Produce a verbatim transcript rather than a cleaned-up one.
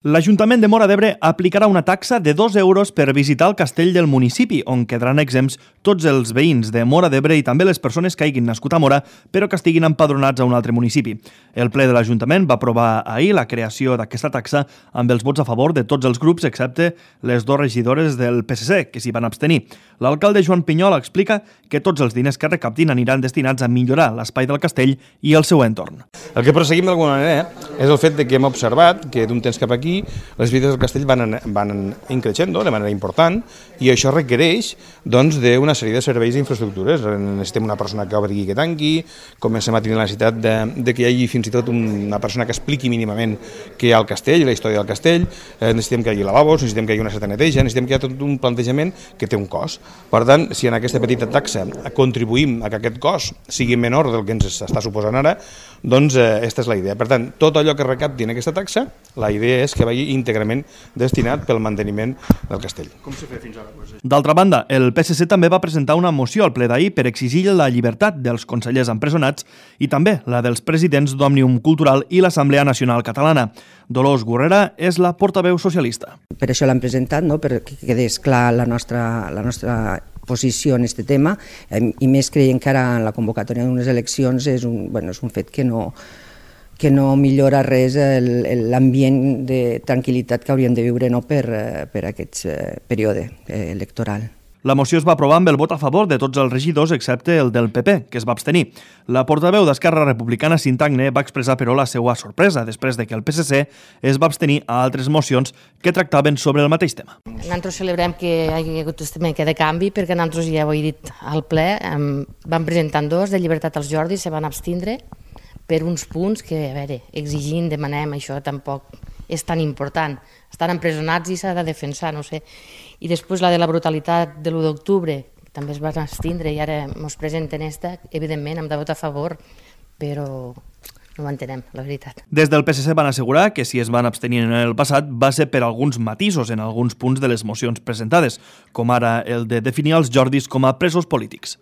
L'Ajuntament de Móra d'Ebre aplicarà una taxa de dos euros per visitar el castell del municipi, on quedaran exempts tots els veïns de Móra d'Ebre i també les persones que hagin nascut a Móra, però que estiguin empadronats a un altre municipi. El ple de l'Ajuntament va aprovar ahir la creació d'aquesta taxa amb els vots a favor de tots els grups, excepte les dues regidores del P S C, que s'hi van abstenir. L'alcalde Joan Pinyol explica que tots els diners que recaptin aniran destinats a millorar l'espai del castell i el seu entorn. El que perseguim d'alguna manera és el fet de que hem observat que d'un temps cap aquí les visites del castell van, van increixent de manera important i això requereix doncs, d'una sèrie de serveis i infraestructures. Necessitem una persona que obri i que tanqui, comencem a tenir la necessitat de, de que hi hagi fins i tot una persona que expliqui mínimament què hi ha al castell, la història del castell, eh, necessitem que hi hagi lavabos, necessitem que hi hagi una certa neteja, necessitem que hi hagi tot un plantejament que té un cost. Per tant, si en aquesta petita taxa contribuïm a que aquest cost sigui menor del que ens està suposant ara, doncs eh, aquesta és la idea. Per tant, tot allò que recapti en aquesta taxa, la idea és que vagi íntegrament destinat pel manteniment del castell. Com s'ha fet fins ara? D'altra banda, el P S C també va presentar una moció al ple d'ahir per exigir la llibertat dels consellers empresonats i també la dels presidents d'Òmnium Cultural i l'Assemblea Nacional Catalana. Dolors Gurrera és la portaveu socialista. Per això l'hem presentat, no? Perquè quedés clar la nostra, la nostra posició en aquest tema, i més creient que ara en la convocatòria d'unes eleccions és un, bueno, és un fet que no, que no millora res l'ambient de tranquil·litat que hauríem de viure no, per, per aquest període electoral. La moció es va aprovar amb el vot a favor de tots els regidors excepte el del P P, que es va abstenir. La portaveu d'Esquerra Republicana, Cintagne, va expressar però la seva sorpresa després de que el P S C es va abstenir a altres mocions que tractaven sobre el mateix tema. Nosaltres celebrem que hi hagi hagut aquest tema de canvi perquè nosaltres ja ho he dit al ple, vam presentar dos de llibertat als Jordis, se van abstindre per uns punts que, a veure, exigint, demanem, això tampoc és tan important. Estan empresonats i s'ha de defensar, no sé. I després la de la brutalitat de l'u d'octubre, també es van abstindre i ara ens presenten esta, evidentment hem de votar a favor, però no ho entenem, la veritat. Des del P S C van assegurar que si es van abstenir en el passat va ser per alguns matisos en alguns punts de les mocions presentades, com ara el de definir els Jordis com a presos polítics.